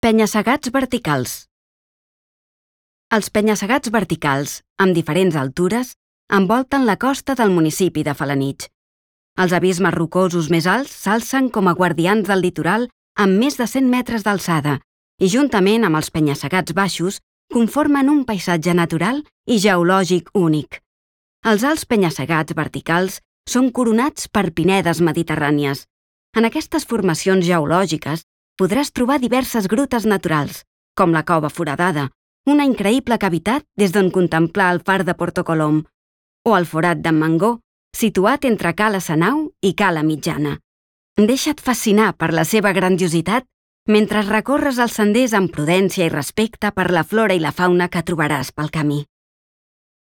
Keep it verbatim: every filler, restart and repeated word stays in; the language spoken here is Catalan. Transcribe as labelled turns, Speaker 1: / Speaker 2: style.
Speaker 1: Penya-segats verticals. Els penya-segats verticals, amb diferents altures, envolten la costa del municipi de Felanitx. Els abismes rocosos més alts s'alcen com a guardians del litoral amb més de cent metres d'alçada i, juntament amb els penya-segats baixos, conformen un paisatge natural i geològic únic. Els alts penya-segats verticals són coronats per pinedes mediterrànies. En aquestes formacions geològiques podràs trobar diverses grutes naturals, com la Cova Foradada, una increïble cavitat des d'on contemplar el far de Porto Colom, o el Forat d'en Mangó, situat entre Cala Sanau i Cala Mitjana. Deixa't fascinar per la seva grandiositat mentre recorres els senders amb prudència i respecte per la flora i la fauna que trobaràs pel camí.